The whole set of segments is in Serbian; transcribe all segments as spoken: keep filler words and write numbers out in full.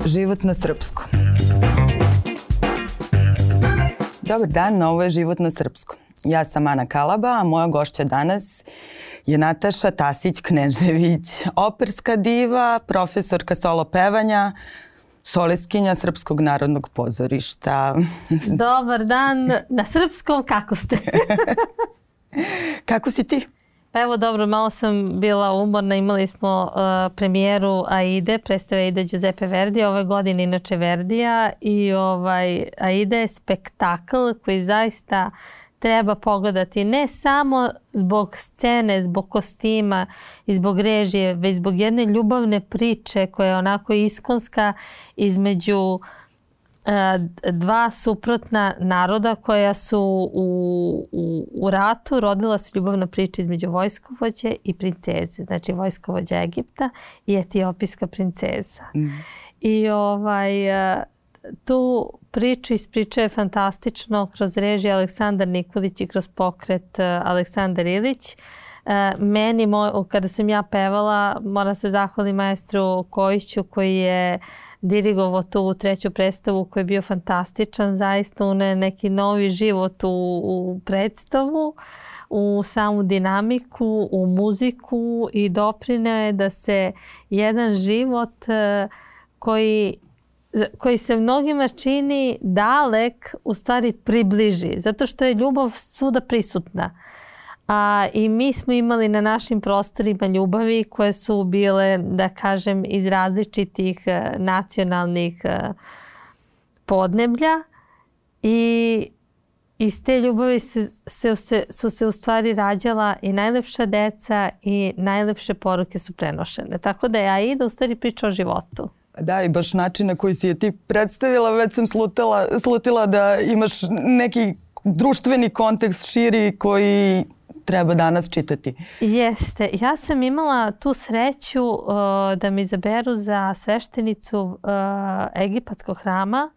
Život na srpskom. Dobar dan, ovo je Život na srpskom. Ja sam Ana Kalaba, a moja gošća danas je Nataša Tasić-Knežević, operska diva, profesorka solo pevanja, solistkinja Srpskog narodnog pozorišta. Dobar dan, na srpskom, kako ste? Kako si ti? Pa evo dobro, malo sam bila umorna, imali smo uh, premijeru Aide, predstave Aide Giuseppe Verdija, ove godine inače Verdija i ovaj, Aida je spektakl koji zaista treba pogledati ne samo zbog scene, zbog kostima i zbog režije, već zbog jedne ljubavne priče koja je onako iskonska između dva suprotna naroda koja su u, u, u ratu. Rodila se ljubavna priča između vojskovođe i princeze. Znači vojskovođa Egipta i etiopijska princeza. Mm. I ovaj, tu priču ispričao je fantastično kroz režiju Aleksandar Nikolić i kroz pokret Aleksandar Ilić. Meni, kada sam ja pevala, moram se zahvaliti maestru Kojiću koji je dirigovao tu treću predstavu koji je bio fantastičan. Zaista une neki novi život u, u predstavu, u samu dinamiku, u muziku i doprineo je da se jedan život koji, koji se mnogima čini dalek u stvari približi. Zato što je ljubav svuda prisutna. A, I mi smo imali na našim prostorima ljubavi koje su bile, da kažem, iz različitih uh, nacionalnih uh, podneblja i iz te ljubavi se, se, se, su se u stvari rađala i najlepša deca i najlepše poruke su prenošene. Tako da je Aida u stvari priča o životu. Da, i baš način na koji si je ti predstavila, već sam slutila, slutila da imaš neki društveni kontekst širi koji treba danas čitati. Jeste. Ja sam imala tu sreću uh, da me izaberu za sveštenicu uh, egipatskog hrama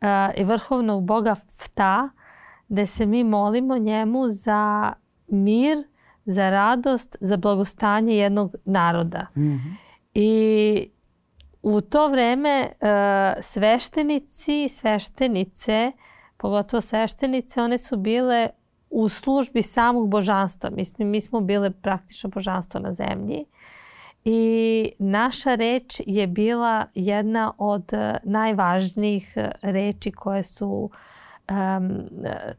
uh, i vrhovnog boga Fta, gde se mi molimo njemu za mir, za radost, za blagostanje jednog naroda. Mm-hmm. I u to vreme uh, sveštenici, sveštenice, pogotovo sveštenice, one su bile u službi samog božanstva. Mislim, mi smo bile praktično božanstvo na zemlji. I naša reč je bila jedna od najvažnijih reči koje su um,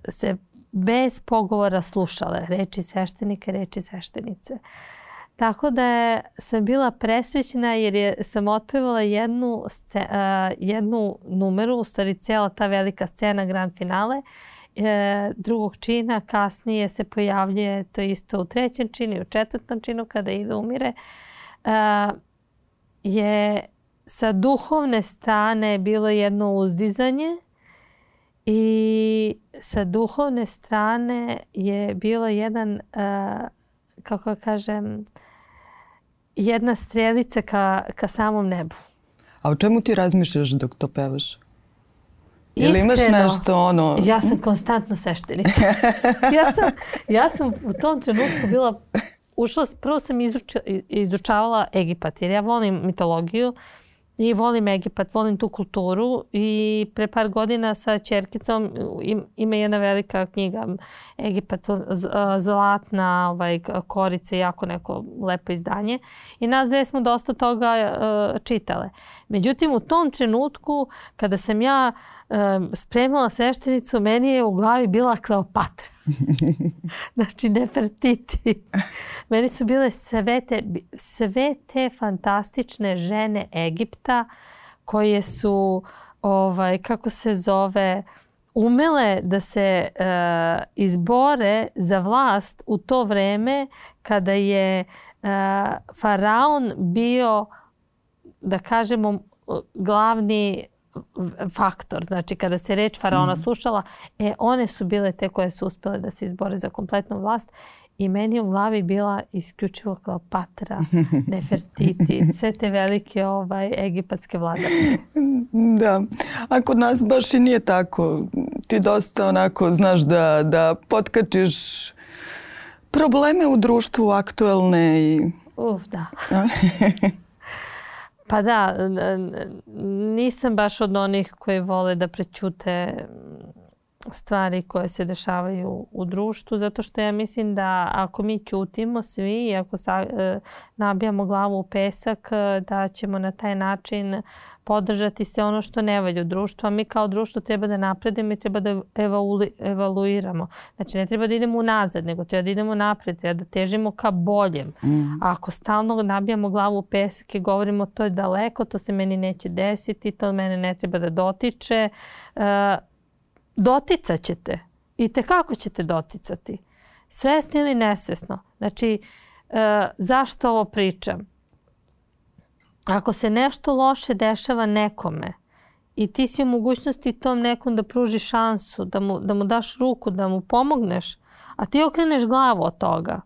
se bez pogovora slušale. Reči sveštenika, reči sveštenice. Tako da je, sam bila presrećna jer je, sam otpevala jednu, sce, uh, jednu numeru, u stvari cijela ta velika scena grand finale, E, drugog čina, kasnije se pojavljuje to isto u trećem činu i u četvrtom činu kada ide umire, e, je sa duhovne strane bilo jedno uzdizanje i sa duhovne strane je bilo jedan, e, kako kažem, jedna strelica ka, ka samom nebu. A o čemu ti razmišljaš dok to pevaš? Ili imaš nešto ono... Ja sam konstantno sveštenica. ja, sam, ja sam u tom trenutku bila... Ušla, prvo sam izuča, izučavala Egipat jer ja volim mitologiju i volim Egipat, volim tu kulturu i pre par godina sa ćerkicom ima jedna velika knjiga Egipat, zlatna ovaj, korica, jako neko lepo izdanje i nas dve smo dosta toga uh, čitale. Međutim, u tom trenutku kada sam ja uh, spremala sveštenicu, meni je u glavi bila Kleopatra. Znači Nefertiti. Meni su bile sve te, sve te fantastične žene Egipta koje su, ovaj, kako se zove, umele da se uh, izbore za vlast u to vreme kada je uh, faraon bio, da kažemo, glavni faktor. Znači, kada se reč faraona slušala, e, one su bile te koje su uspjele da se izbore za kompletnu vlast i meni u glavi bila isključivo Kleopatra, Nefertiti, sve te velike ovaj, egipatske vladare. Da, a kod nas baš i nije tako. Ti dosta onako znaš da, da potkačiš probleme u društvu aktuelne i... Uf, da. Pa da, nisam baš od onih koji vole da prećute stvari koje se dešavaju u društvu, zato što ja mislim da ako mi ćutimo svi i ako sa, e, nabijamo glavu u pesak, da ćemo na taj način podržati se ono što ne valja u društvu, a mi kao društvo treba da napredimo i treba da evalu, evaluiramo. Znači ne treba da idemo unazad, nego treba da idemo napred, treba da težimo ka boljem. Mm. A ako stalno nabijamo glavu u pesak i govorimo to je daleko, to se meni neće desiti, to mene ne treba da dotiče, e, doticat ćete. I tekako ćete doticati. Svesno ili nesvesno. Znači, e, zašto ovo pričam? Ako se nešto loše dešava nekome i ti si u mogućnosti tom nekom da pruži šansu, da mu, da mu daš ruku, da mu pomogneš, a ti okreneš glavu od toga,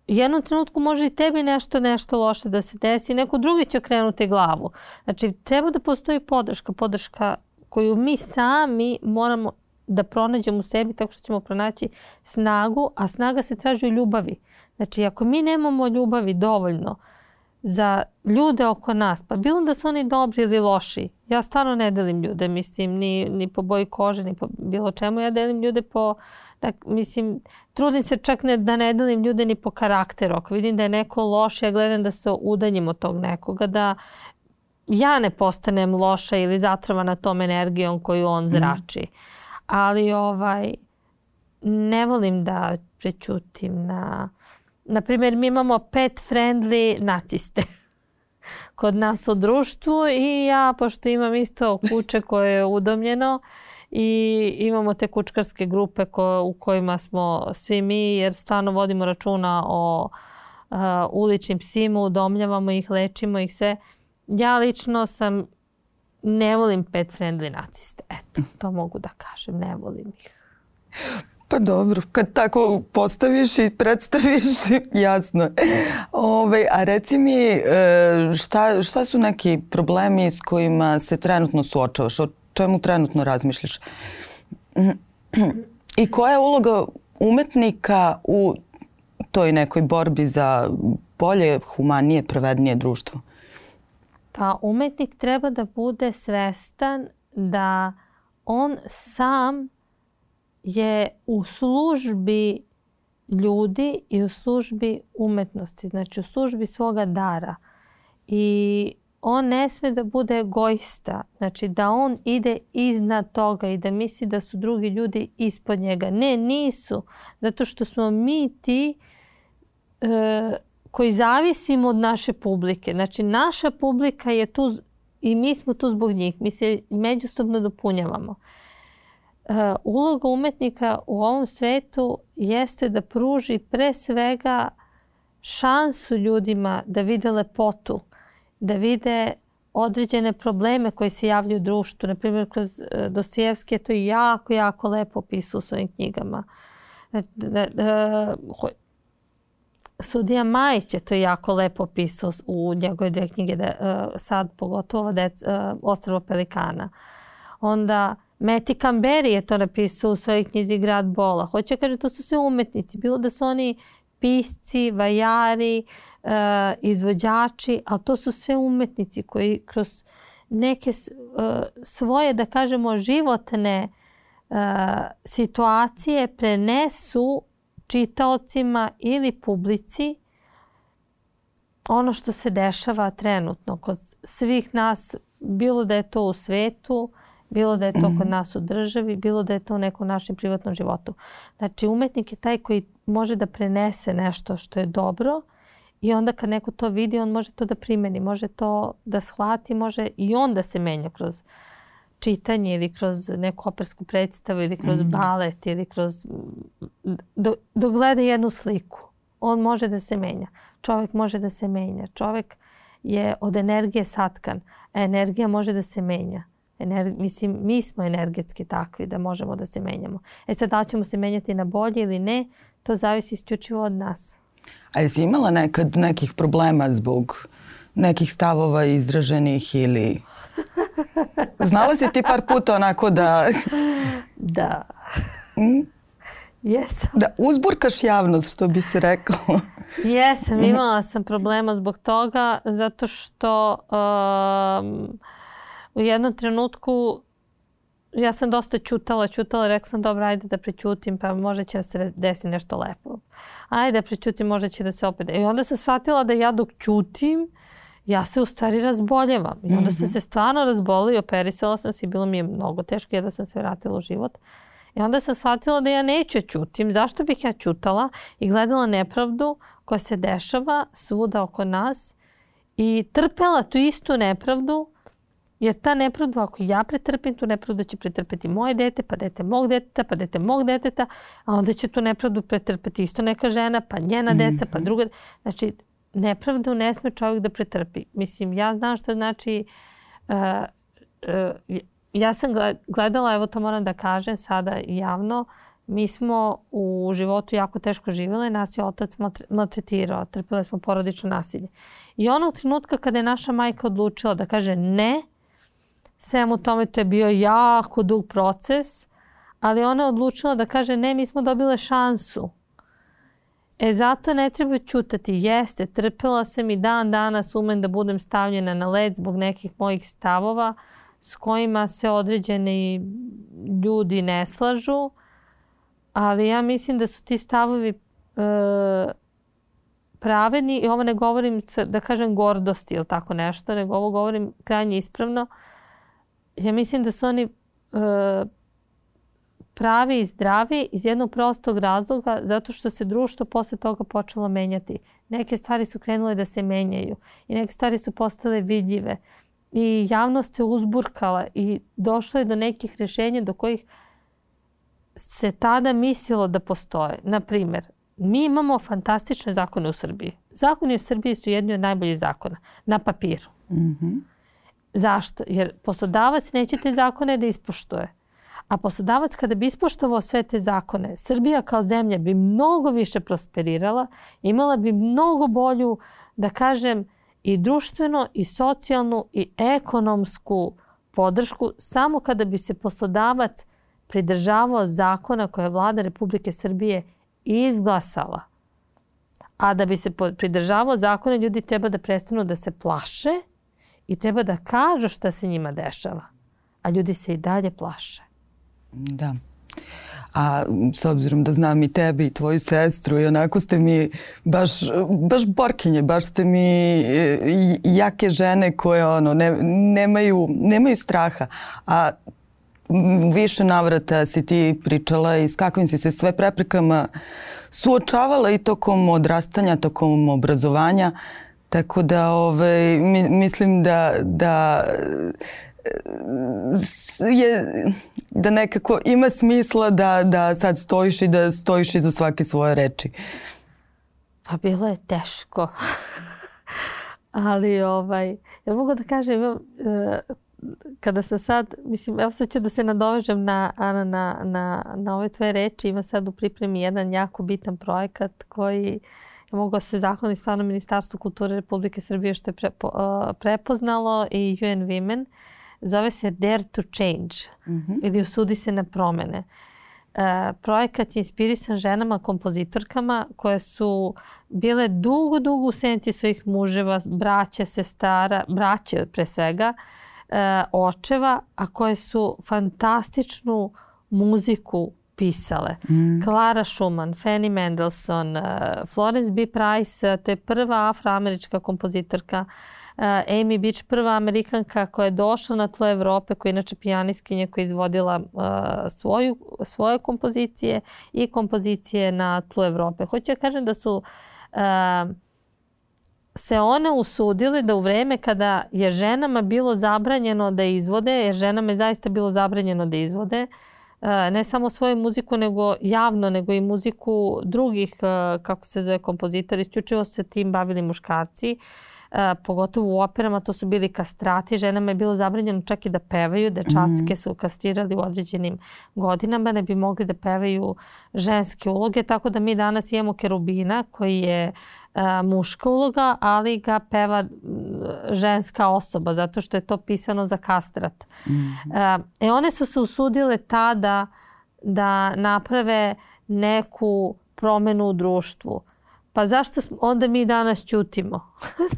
u jednom trenutku može i tebi nešto, nešto loše da se desi, neko drugi će okrenuti glavu. Znači, treba da postoji podrška, podrška koju mi sami moramo da pronađemo u sebi tako što ćemo pronaći snagu, a snaga se traži u ljubavi. Znači, ako mi nemamo ljubavi dovoljno za ljude oko nas, pa bilo da su oni dobri ili loši, ja stvarno ne delim ljude, mislim, ni, ni po boji kože, ni po bilo čemu, ja delim ljude po, tak, mislim, trudim se čak ne, da ne delim ljude ni po karakteru. Ako vidim da je neko loš, ja gledam da se udaljim od tog nekoga, da ja ne postanem loša ili zatrovana tom energijom koju on zrači. Mm. Ali ovaj, ne volim da prećutim na... Naprimjer, mi imamo pet friendly naciste kod nas u društvu i ja, pošto imam isto kuće koje je udomljeno i imamo te kučkarske grupe ko, u kojima smo svi mi, jer stvarno vodimo računa o uh, uličnim psima, udomljavamo ih, lečimo ih sve. Ja lično sam, ne volim pet friendly naciste. Eto, to mogu da kažem, ne volim ih. Pa dobro, kad tako postaviš i predstaviš, jasno. Ove, a reci mi, šta, šta su neki problemi s kojima se trenutno suočavaš? O čemu trenutno razmišljaš? I koja je uloga umetnika u toj nekoj borbi za bolje, humanije, pravednije društvo? Pa umetnik treba da bude svestan da on sam je u službi ljudi i u službi umetnosti, znači u službi svoga dara. I on ne sme da bude egoista, znači da on ide iznad toga i da misli da su drugi ljudi ispod njega. Ne, nisu, zato što smo mi ti e, koji zavisimo od naše publike. Znači naša publika je tu i mi smo tu zbog njih. Mi se međusobno dopunjavamo. Uh, uloga umetnika u ovom svetu jeste da pruži pre svega šansu ljudima da vide lepotu, da vide određene probleme koje se javljaju u društvu. Naprimjer, kroz uh, Dostojevski je to jako, jako lepo opisao u svojim knjigama. Uh, uh, Sudija Majić je to jako lepo opisao u njegove dve knjige, da, uh, sad pogotovo dec, uh, Ostrvo pelikana. Onda Meti Kamberi je to napisao u svojoj knjizi Grad bola. Hoće kaže, to su sve umetnici. Bilo da su oni pisci, vajari, uh, izvođači, ali to su sve umetnici koji kroz neke uh, svoje, da kažemo, životne uh, situacije prenesu čitaocima ili publici ono što se dešava trenutno kod svih nas, bilo da je to u svetu, bilo da je to kod nas u državi, bilo da je to u nekom našem privatnom životu. Znači, umetnik je taj koji može da prenese nešto što je dobro i onda kad neko to vidi, on može to da primeni, može to da shvati, može i on da se menja kroz čitanje ili kroz neku opersku predstavu ili kroz balet ili kroz... Do, dok gleda jednu sliku, on može da se menja. Čovjek može da se menja. Čovjek je od energije satkan, a energija može da se menja. Ener, mislim, mi smo energetski takvi da možemo da se menjamo. E sad, da li ćemo se menjati na bolje ili ne, to zavisi isključivo od nas. A jesi imala nekad nekih problema zbog nekih stavova izraženih ili... Znala si ti par puta onako da... Da. Mm? Jesam. Da uzburkaš javnost, što bi se rekao. Jesam, imala sam problema zbog toga, zato što... Um, u jednom trenutku ja sam dosta ćutala, ćutala, rekla sam dobro, ajde da prećutim, pa možda će da se desi nešto lepo. Ajde da prećutim, možda će da se opet... I onda sam shvatila da ja dok ćutim, ja se u stvari razboljevam. I onda sam se stvarno razbolila i operisala sam se i bilo mi je mnogo teško, jedva sam se vratila u život. I onda sam shvatila da ja neću ćutim. Zašto bih ja ćutala i gledala nepravdu koja se dešava svuda oko nas i trpela tu istu nepravdu, jer ta nepravda, ako ja pretrpim, tu nepravdu će pretrpeti moje dete, pa dete mog deteta, pa dete mog deteta, a onda će tu nepravdu pretrpeti isto neka žena, pa njena deca, pa druga. Znači, nepravdu ne sme čovjek da pretrpi. Mislim, ja znam što znači... Uh, uh, ja sam gledala, evo to moram da kažem sada javno, mi smo u životu jako teško živjeli, nas je otac maltretirao, trpile smo porodično nasilje. I onog trenutka kada je naša majka odlučila da kaže ne, svemu tome to je bio jako dug proces, ali ona je odlučila da kaže ne, mi smo dobile šansu. E zato ne treba ćutati. Jeste, trpela sam i dan danas umem da budem stavljena na led zbog nekih mojih stavova s kojima se određeni ljudi ne slažu, ali ja mislim da su ti stavovi e, pravedni i ovo ne govorim da kažem gordosti ili tako nešto, nego ovo govorim krajnje ispravno. Ja mislim da su oni e, pravi i zdravi iz jednog prostog razloga zato što se društvo posle toga počelo menjati. Neke stvari su krenule da se menjaju i neke stvari su postale vidljive. I javnost se uzburkala i došlo je do nekih rješenja do kojih se tada mislilo da postoje. Naprimjer, mi imamo fantastične zakone u Srbiji. Zakoni u Srbiji su jedni od najboljih zakona na papiru. Mm-hmm. Zašto? Jer poslodavac neće te zakone da ispoštuje. A poslodavac kada bi ispoštovao sve te zakone, Srbija kao zemlja bi mnogo više prosperirala, imala bi mnogo bolju, da kažem, i društveno, i socijalnu, i ekonomsku podršku samo kada bi se poslodavac pridržavao zakona koje je vlada Republike Srbije izglasala. A da bi se pridržavao zakona, ljudi treba da prestanu da se plaše i treba da kažu šta se njima dešava. A ljudi se i dalje plaše. Da. A s obzirom da znam i tebe i tvoju sestru i onako ste mi baš, baš borkinje, baš ste mi jake žene koje ono, ne, nemaju, nemaju straha. A više navrata si ti pričala i s kakvim si se sve preprekama suočavala i tokom odrastanja, tokom obrazovanja. Tako da ovaj, mislim da, da je, da nekako ima smisla da, da sad stojiš i da stojiš iza svake svoje reči. Pa bilo je teško. Ali ovaj, ja mogu da kažem, imam, kada sam sad, mislim, evo sad ću da se nadovežem na, Ana, na, na, na ove tvoje reči. Ima sad u pripremi jedan jako bitan projekat koji ja mogu se zahvaliti stvarno Ministarstvu kulture Republike Srbije što je pre, uh, prepoznalo i U N Women. Zove se Dare to Change, mm-hmm. ili Usudi se na promene. Uh, projekat je inspirisan ženama, kompozitorkama koje su bile dugo, dugo u senci svojih muževa, braće, sestara, braće pre svega, uh, očeva, a koje su fantastičnu muziku pisale. Mm. Clara Schumann, Fanny Mendelssohn, uh, Florence B. Price, uh, to je prva afroamerička kompozitorka, uh, Amy Beach, prva Amerikanka koja je došla na tlo Evrope, koja je inače pijanistkinja koja je izvodila uh, svoju, svoje kompozicije i kompozicije na tlu Evrope. Hoću ja kažem da su uh, se one usudile da u vreme kada je ženama bilo zabranjeno da izvode, jer ženama je zaista bilo zabranjeno da izvode, ne samo svoju muziku nego javno, nego i muziku drugih, kako se zove, kompozitori. Isključivo se tim bavili muškarci, pogotovo u operama, to su bili kastrati. Ženama je bilo zabranjeno čak i da pevaju. Dečacke su kastrirali u određenim godinama, ne bi mogli da pevaju ženske uloge. Tako da mi danas imamo Kerubina koji je muška uloga, ali ga peva ženska osoba, zato što je to pisano za kastrat. Mm-hmm. E, one su se usudile tada da naprave neku promenu u društvu. Pa zašto onda mi danas ćutimo?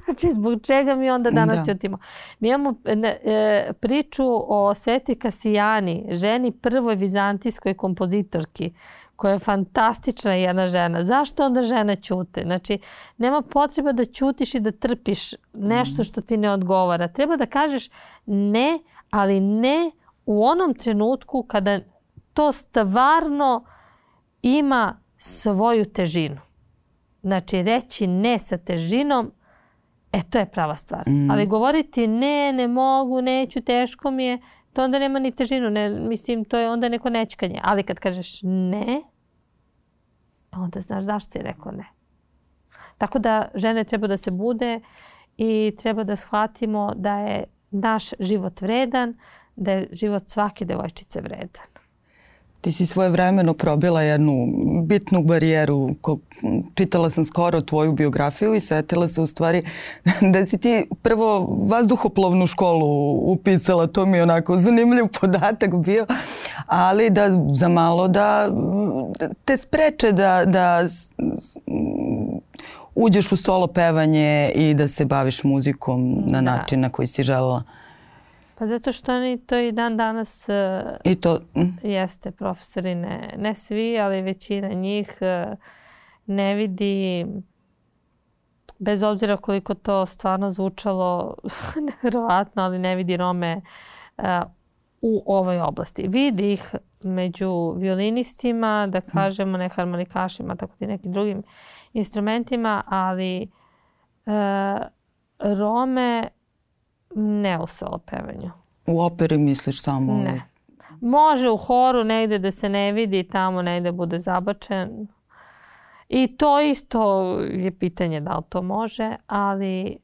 Znači, zbog čega mi onda danas da. ćutimo? Mi imamo e, priču o Svetoj Kasijani, ženi prvoj vizantijskoj kompozitorki, koja je fantastična jedna žena. Zašto onda žena ćute? Znači, nema potreba da ćutiš i da trpiš nešto što ti ne odgovara. Treba da kažeš ne, ali ne u onom trenutku kada to stvarno ima svoju težinu. Znači, reći ne sa težinom, e, to je prava stvar. Mm. Ali govoriti ne, ne mogu, neću, teško mi je, to onda nema ni težinu. Ne, mislim, to je onda neko nećkanje. Ali kad kažeš ne, onda znaš zašto si rekao ne. Tako da žene treba da se bude i treba da shvatimo da je naš život vredan, da je život svake devojčice vredan. Ti si svojevremeno probila jednu bitnu barijeru. Čitala sam skoro tvoju biografiju i setila se u stvari da si ti prvo vazduhoplovnu školu upisala. To mi je onako zanimljiv podatak bio. Ali da za malo da te spreče da, da uđeš u solo pevanje i da se baviš muzikom na način na koji si želela. Pa zato što oni to i dan danas I to, mm. jeste profesori, ne, ne svi, ali većina njih ne vidi, bez obzira koliko to stvarno zvučalo nevjerovatno, ali ne vidi Rome uh, u ovoj oblasti. Vidi ih među violinistima, da kažemo, ne harmonikašima, tako i nekim drugim instrumentima, ali uh, Rome ne u solo pevanju. U operi misliš samo? Ne. Može u horu negde da se ne vidi, tamo negde bude zabačen. I to isto je pitanje da li to može, ali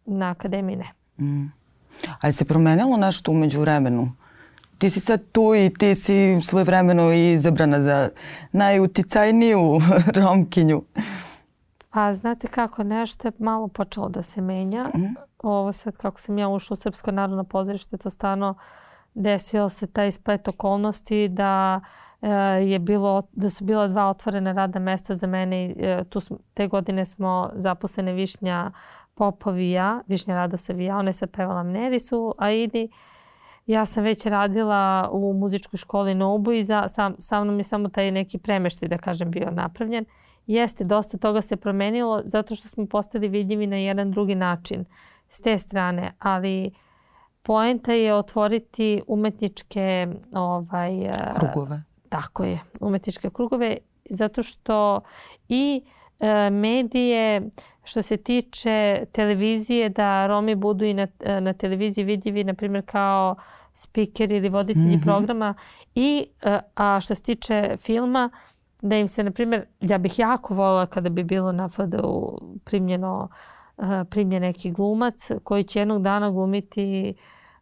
na akademiji ne. Mm. A je se promenilo nešto umeđu vremenu? Ti si sad tu i ti si svojevremeno izabrana za najuticajniju Romkinju. Pa znate kako, nešto je malo počelo da se menja. Mm. Ovo sad kako sam ja ušla u Srpsko narodno pozorište, to stvarno desilo se taj splet okolnosti da e, je bilo, da su bila dva otvorena radna mesta za mene. E, tu smo, te godine smo zaposlene Višnja Popov i ja, Višnja Radosev i ja, ona je sad pevala Mnerisu, a Idi. Ja sam već radila u muzičkoj školi Nobu i za, sam, sa mnom je samo taj neki premeštaj, da kažem, bio napravljen. Jeste, dosta toga se promenilo zato što smo postali vidljivi na jedan drugi način s te strane, ali poenta je otvoriti umetničke ovaj, krugove. Tako je, umetničke krugove, zato što i e, medije, što se tiče televizije, da Romi budu i na, na televiziji vidljivi, na primjer kao speaker ili voditelji mm-hmm. programa, i a što se tiče filma, da im se, na primjer, ja bih jako voljela kada bi bilo na F D U primljeno, uh, primljen neki glumac koji će jednog dana glumiti,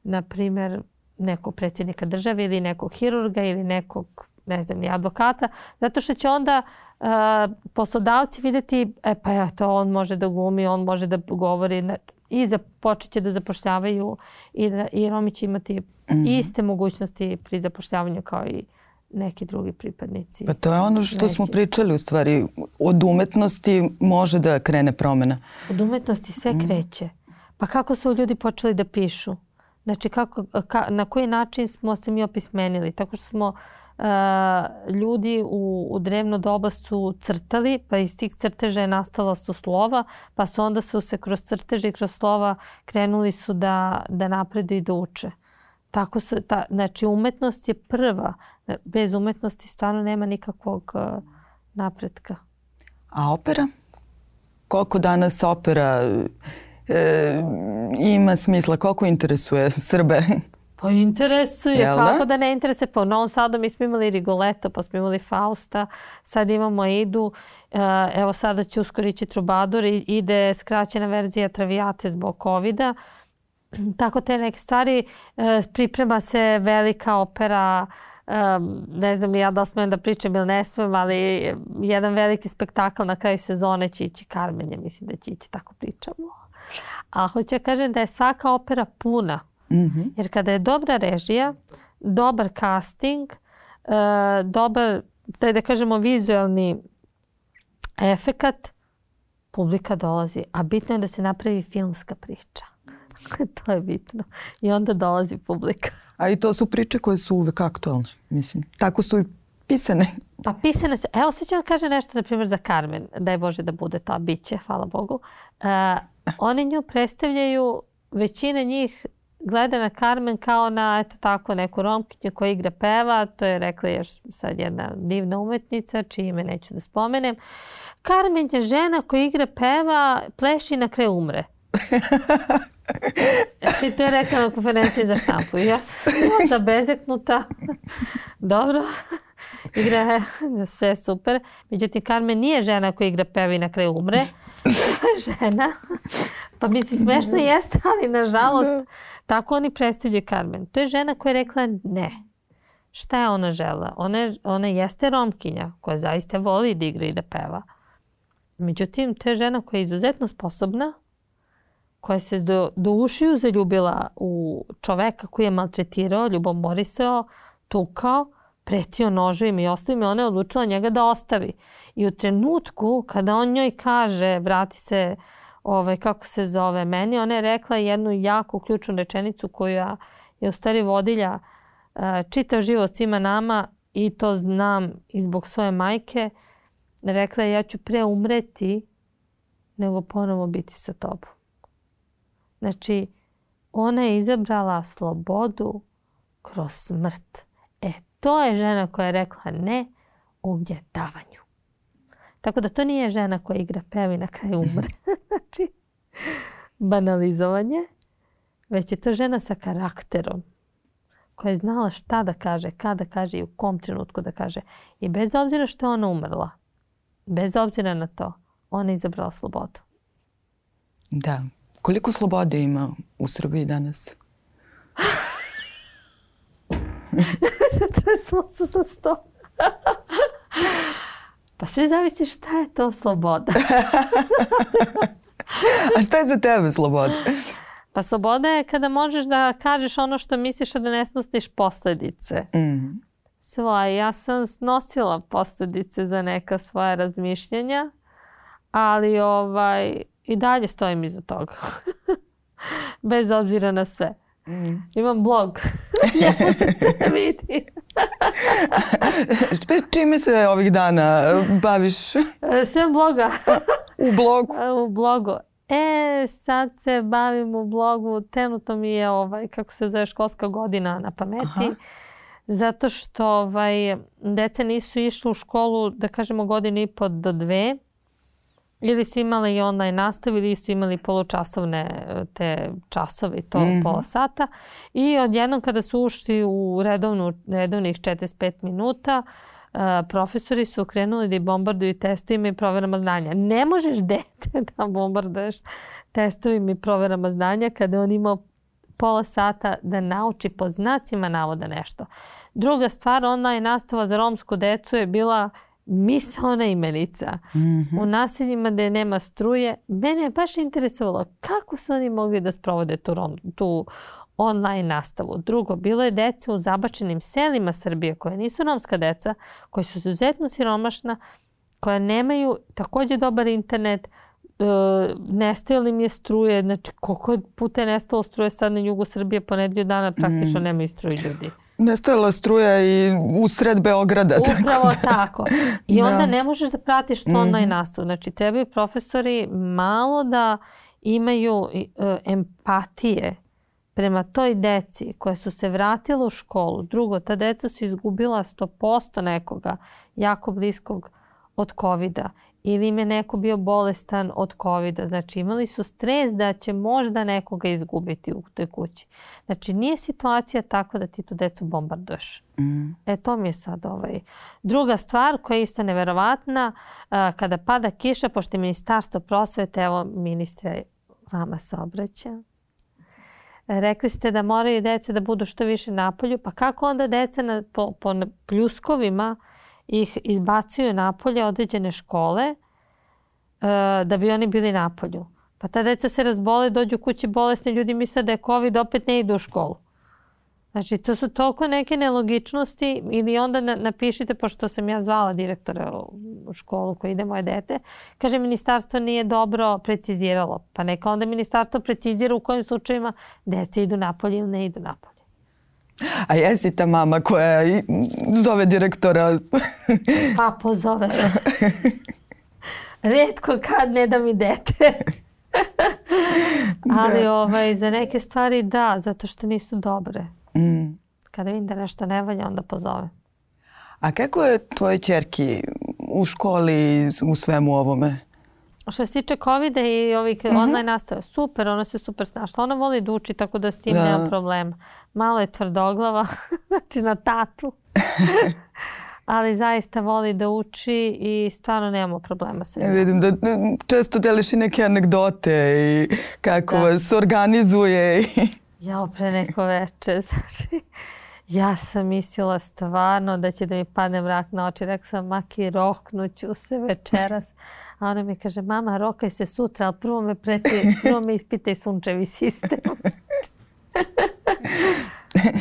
na primjer, nekog predsjednika države ili nekog hirurga ili nekog, ne znam, ni advokata, zato što će onda uh, poslodavci vidjeti, e pa ja, to on može da glumi, on može da govori i počet će da zapošljavaju i, da, i Romi će imati mm-hmm. iste mogućnosti pri zapošljavanju kao i neki drugi pripadnici. Pa to je ono što smo pričali u stvari. Od umetnosti može da krene promjena. Od umetnosti sve mm. kreće. Pa kako su ljudi počeli da pišu? Znači kako, ka, na koji način smo se mi opismenili? Tako što smo uh, ljudi u, u drevno doba su crtali, pa iz tih crteža je nastala su slova, pa su onda su se kroz crteže i kroz slova krenuli su da, da napreduju i da uče. Tako su, ta, znači umetnost je prva. Bez umetnosti stvarno nema nikakvog uh, napretka. A opera? Koliko danas opera e, ima smisla? Koliko interesuje Srbe? Pa interesuje. Jel kako da? da ne interesuje? Pa u Novom Sadu mi smo imali Rigoletto, pa smo imali Fausta, sad imamo Idu. E, evo sada će uskoro ići Trubadur i ide skraćena verzija Traviate zbog covida. Tako te neke stvari. E, priprema se velika opera. Um, ne znam ja da li smijem da pričam ili ne smijem, ali jedan veliki spektakl na kraju sezone će ići Karmenje, mislim da će ići, tako pričamo. A hoću ja kažem da je svaka opera puna. Mm-hmm. Jer kada je dobra režija, dobar casting, uh, dobar, da kažemo vizualni efekat, publika dolazi, a bitno je da se napravi filmska priča. To je bitno. I onda dolazi publika. A i to su priče koje su uvek aktualne, mislim. Tako su i pisane. Pa pisane su. Evo sad ću vam kažem nešto, na primjer, za Carmen. Daj Bože da bude to, a bit će, hvala Bogu. Uh, oni nju predstavljaju, većina njih gleda na Carmen kao na, eto tako, neku Romkinju koja igra peva. To je rekla još sad jedna divna umetnica, čije ime neću da spomenem. Carmen je žena koja igra peva, pleši i na kraju umre. I to je rekla na konferenciji za štampu. Ja sam zabezeknuta. Dobro. Igra sve super. Međutim, Carmen nije žena koja igra peva i na kraju umre. Žena. Pa misli, smešno jeste, ali nažalost tako oni predstavljaju Carmen. To je žena koja je rekla ne. Šta je ona žela? Ona, ona jeste Romkinja koja zaista voli da igra i da peva. Međutim, to je žena koja je izuzetno sposobna, koja se do, do ušiju zaljubila u čoveka koji je maltretirao, ljubomorisao, tukao, pretio noževima i ostavima. Ona je odlučila njega da ostavi. I u trenutku kada on njoj kaže, vrati se, ovaj, kako se zove meni, ona je rekla jednu jako ključnu rečenicu koja je u stvari vodilja uh, čitav život svima nama i to znam i zbog svoje majke. Rekla je, ja ću pre umreti nego ponovo biti sa tobom. Znači, ona je izabrala slobodu kroz smrt. E, to je žena koja je rekla ne ugnjetavanju. Tako da to nije žena koja igra peva i na kraju umre. Znači, banalizovanje. Već je to žena sa karakterom. Koja je znala šta da kaže, kada kaže i u kom trenutku da kaže. I bez obzira što je ona umrla, bez obzira na to, ona je izabrala slobodu. Da. Koliko slobode ima u Srbiji danas? Zatresla se sa sto. Pa sve zavisi šta je to sloboda. A šta je za tebe sloboda? Pa sloboda je kada možeš da kažeš ono što misliš, a da ne snosiš posledice. Mm. Svoje. Ja sam snosila posledice za neka svoja razmišljanja, ali ovaj, i dalje stojim iza toga. Bez obzira na sve. Mm. Imam blog. Njemu se sve vidi. Čime se ovih dana baviš? Sve bloga. U blogu? U blogu. E, sad se bavim u blogu. Trenutno mi je, ovaj, kako se zove, školska godina na pameti. Aha. Zato što ovaj, deca nisu išli u školu, da kažemo, godinu i po do dve. Ili su imali i online nastavu ili su imali polučasovne te časove i to mm-hmm. pola sata. I odjednom kada su ušli u redovnu, redovnih četrdeset pet minuta, uh, profesori su krenuli da bombarduju testovima i proverama znanja. Ne možeš dete da bombarduješ testovima i proverama znanja kada on imao pola sata da nauči pod znacima navoda nešto. Druga stvar, online nastava za romsku decu je bila misaona imenica. Mm-hmm. U naseljima gde nema struje. Mene je baš interesovalo kako su oni mogli da sprovode tu, rom, tu online nastavu. Drugo, bilo je deca u zabačenim selima Srbije koje nisu romska deca, koje su izuzetno siromašna, koja nemaju takođe dobar internet, e, nestajalo im je struje. Znači, koliko puta je nestalo struje sad na jugu Srbije, po nedelju dana praktično mm. nemaju struje ljudi. Nestajala struja i u sred Beograda. Upravo tako. Da. tako. I onda da. ne možeš da pratiš to online nastavu. Znači, trebaju profesori malo da imaju uh, empatije prema toj deci koja su se vratila u školu. Drugo, ta deca su izgubila sto posto nekoga jako bliskog od kovida. Ili im je neko bio bolestan od kovida. Znači, imali su stres da će možda nekoga izgubiti u toj kući. Znači, nije situacija tako da ti tu decu bombarduješ. Mm. E, to mi je sad ovaj. Druga stvar koja je isto neverovatna, kada pada kiša, pošto je Ministarstvo prosvete, evo, ministre, vama se obraća. Rekli ste da moraju dece da budu što više napolju. Pa kako onda deca na, po, po pljuskovima ih izbacuju napolje određene škole uh, da bi oni bili napolju. Pa ta deca se razbole, dođu kući bolesni, ljudi misle da je COVID, opet ne idu u školu. Znači, to su toliko neke nelogičnosti ili onda napišite, pošto sam ja zvala direktora u školu koji ide moje dete, kaže ministarstvo nije dobro preciziralo. Pa neka onda ministarstvo precizira u kojim slučajima deca idu napolje ili ne idu napolje. A jesi ta mama koja zove direktora? Pa pozove. Rijetko kad ne da mi dete. Ali da. ovaj, za neke stvari da, zato što nisu dobre. Mm. Kada vidim da nešto ne valja, onda pozove. A kako je tvoje ćerki u školi u svemu ovome? Što se tiče covida i ovih mm-hmm. online nastave, super, ona se super snašla. Ona voli da uči, tako da s tim da. nema problema. Malo je tvrdoglava, znači na tatu. Ali zaista voli da uči i stvarno nemamo problema sa njom. Ja vidim da često deliš i neke anegdote i kako da. vas organizuje. Ja pre neko veče, znači, ja sam mislila stvarno da će da mi padne mrak na oči. Rekla sam, Maki, roknuću se večeras. A ona mi kaže, mama, rokaj se sutra, ali prvo me, preti, prvo me ispitaj sunčevi sistem.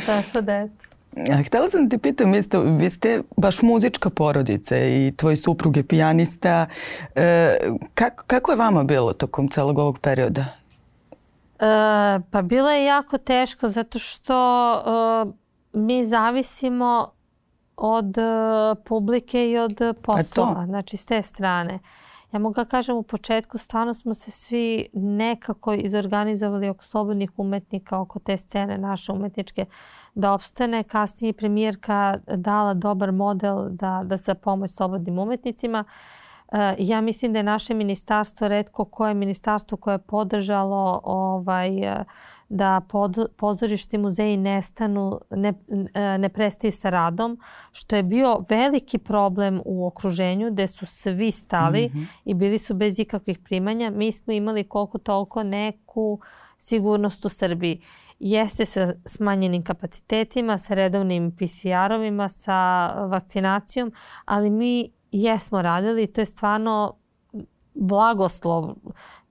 Tako da eto. A htjela sam ti pitam, isto, vi ste baš muzička porodica i tvoj suprug je pijanista. E, kako, kako je vama bilo tokom celog ovog perioda? E, pa bilo je jako teško zato što e, mi zavisimo od e, publike i od poslova, pa znači s te strane. Ja mogu da kažem u početku stvarno smo se svi nekako izorganizovali oko slobodnih umetnika, oko te scene naše umetničke da opstane. Kasnije je premijerka dala dobar model da, da za pomoć slobodnim umetnicima. E, ja mislim da je naše ministarstvo retko koje ministarstvo koje je podržalo ovaj, da pod, pozorišti muzeji nestanu, ne, ne prestaju sa radom, što je bio veliki problem u okruženju gde su svi stali mm-hmm. i bili su bez ikakvih primanja. Mi smo imali koliko toliko neku sigurnost u Srbiji. Jeste sa smanjenim kapacitetima, sa redovnim P C R-ovima, sa vakcinacijom, ali mi jesmo radili i to je stvarno blagoslov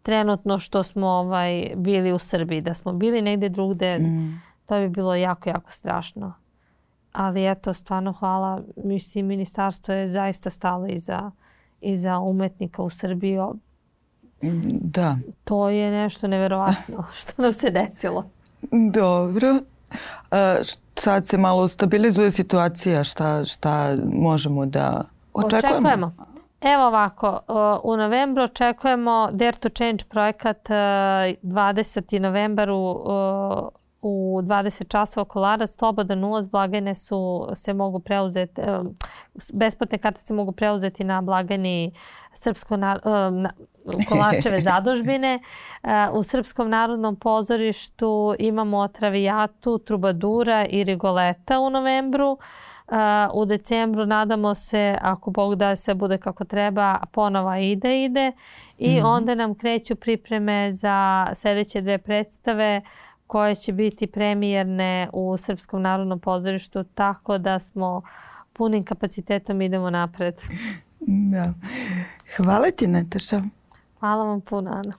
trenutno što smo ovaj, bili u Srbiji. Da smo bili negdje drugde, mm. to bi bilo jako, jako strašno. Ali eto, stvarno hvala. Mislim, ministarstvo je zaista stalo iza, iza umetnika u Srbiji. Da. To je nešto neverovatno što nam se desilo. Dobro. A, sad se malo stabilizuje situacija. Šta, šta možemo da očekujemo? Očekujemo. Evo ovako, u novembru očekujemo Dare to Change projekat dvadeseti novembar u, u dvadeset časova Kolarac. Slobodan ulaz, blagajne su, se mogu preuzeti, besplatne karte se mogu preuzeti na blagajni Srpsko na, na, Kolarčeve zadužbine. U Srpskom narodnom pozorištu imamo Travijatu, Trubadura i Rigoleta u novembru. Uh, u decembru nadamo se, ako Bog da se bude kako treba, ponova ide ide i mm-hmm. onda nam kreću pripreme za sljedeće dve predstave koje će biti premijerne u Srpskom narodnom pozorištu, tako da smo punim kapacitetom idemo napred. Da. Hvala ti, Nataša. Hvala vam puno, Ana.